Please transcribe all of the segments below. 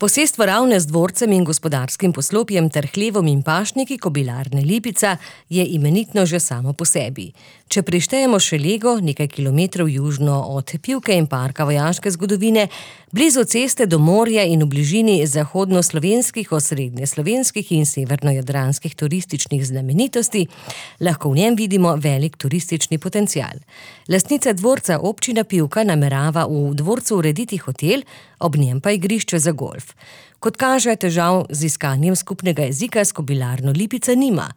Posestvo Ravne z dvorcem in gospodarskim poslopjem ter hlevom in pašniki Kobilarne Lipica je imenitno že samo po sebi. Če prištejemo še Lego, nekaj kilometrov južno od Pivke in parka vojaške zgodovine, blizu ceste do morja in v bližini zahodnoslovenskih, osrednjeslovenskih in severnojadranskih turističnih znamenitosti, lahko v njem vidimo velik turistični potencial. Lastnica dvorca občina Pivka namerava v dvorcu urediti hotel, ob njem pa igrišče za golf. Kot kaže, težav z iskanjem skupnega jezika s Kobilarno Lipica nima.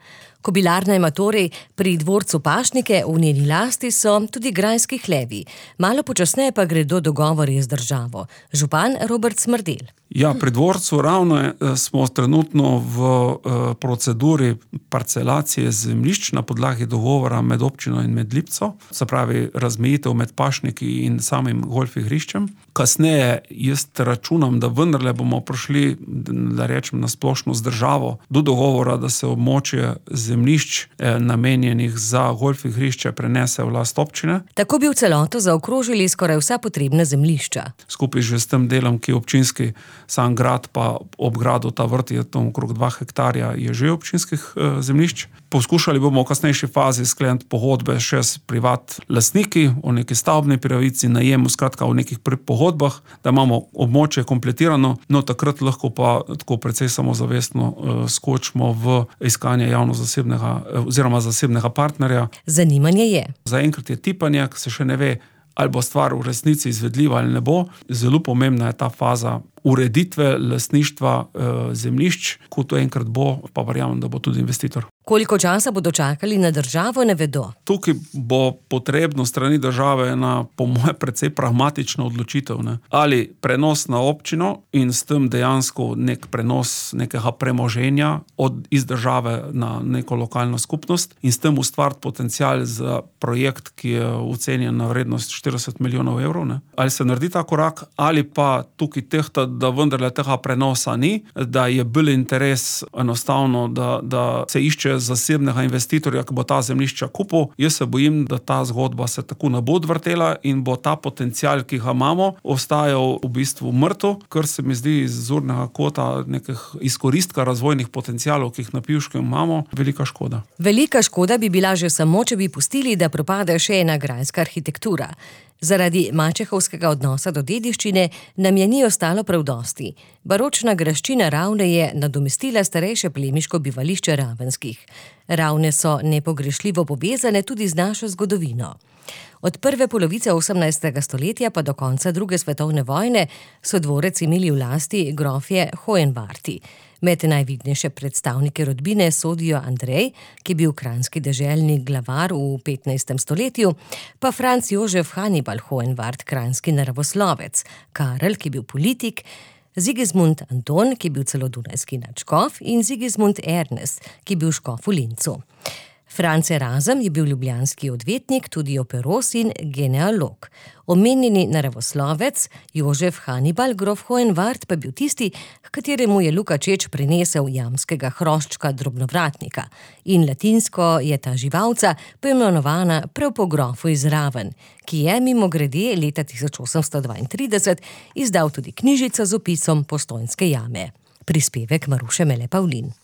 Kobilarna ima torej pri dvorcu pašnike, v njeni lasti so tudi grajski hlevi. Malo počasneje pa gredo dogovori z državo. Župan Robert Smrdelj. Ja, pri dvorcu Ravne smo trenutno v proceduri parcelacije zemljišč na podlagi dogovora med občino in med Lipco, se pravi razmejitev med pašniki in samim golf igriščem. Kasneje jaz računam, da vendarle bomo prišli, da rečem na splošno z državo, do dogovora, da se območje zemljišč namenjenih za golf igrišče prenese v last občine. Tako bi v celoto zaokrožili skoraj vsa potrebna zemljišča. Skupaj že s tem delom, ki je občinski, sam grad pa ob gradu ta vrt je tam okrog 2 hektarja je že občinskih zemljišč. Poskušali bomo v kasnejši fazi skleniti pogodbe še s privat lastniki o neki stavbni pravici, najemu, skratka o nekih pogodbah, da imamo območje kompletirano, no takrat lahko pa tako precej samozavestno skočimo v iskanje javno-zasebnega oziroma zasebnega partnerja. Zanimanje je. Zaenkrat je tipanje, se še ne ve, ali bo stvar v resnici izvedljiva ali ne bo. Zelo pomembna je ta faza ureditve lastništva zemljišč, ko to enkrat bo, pa verjamem, da bo tudi investitor. Koliko časa bodo čakali na državo, ne vedo. Tukaj bo potrebno strani države ena, po moje, precej pragmatična odločitev, ne? Ali prenos na občino in s tem dejansko nek prenos nekega premoženja iz države na neko lokalno skupnost in s tem ustvariti potencial za projekt, ki je ocenjen na vrednost 40 milijonov evrov, ne? Ali se naredi ta korak, ali pa tukaj tehta, da vendarle tega prenosa ni, da je bolj interes enostavno, da se išče zasebnega investitorja, ki bo ta zemljišča kupil. Jaz se bojim, da ta zgodba se tako ne bo odvrtela in bo ta potencial, ki ga imamo, ostajal v bistvu mrtev, kar se mi zdi iz zornega kota nekih izkoristka razvojnih potencialov, ki jih na Pivškem imamo, velika škoda. Velika škoda bi bila že samo, če bi pustili, da propade še ena grajska arhitektura. Zaradi mačehovskega odnosa do dediščine nam je ni ostalo prav dosti. Baročna graščina Ravne je nadomestila starejše plemiško bivališče Ravenskih. Ravne so nepogrešljivo povezane tudi z našo zgodovino. Od prve polovice 18. stoletja pa do konca druge svetovne vojne so dvorec imeli v lasti grofje Hohenwarti. Med najvidnejše predstavnike rodbine sodijo Andrej, ki je bil kranjski deželni glavar v 15. stoletju, pa Franc Jožef Hannibal Hohenwart, kranjski naravoslovec, Karel, ki je bil politik, Sigismund Anton, ki je bil celo dunajski nadškof, in Sigismund Ernest, ki je bil škof v Linzu. Franc Erasem je bil ljubljanski odvetnik, tudi operos in genealog. Omenjeni naravoslovec Jožef Hannibal grof Hohenwart pa bil tisti, h kateremu je Luka Čeč prinesel jamskega hroščka drobnovratnika. In latinsko je ta živalca poimenovana prav po grofu iz Raven, ki je mimogrede leta 1832 izdal tudi knjižico z opisom Postojnske jame. Prispevek Maruše Mele Pavlin.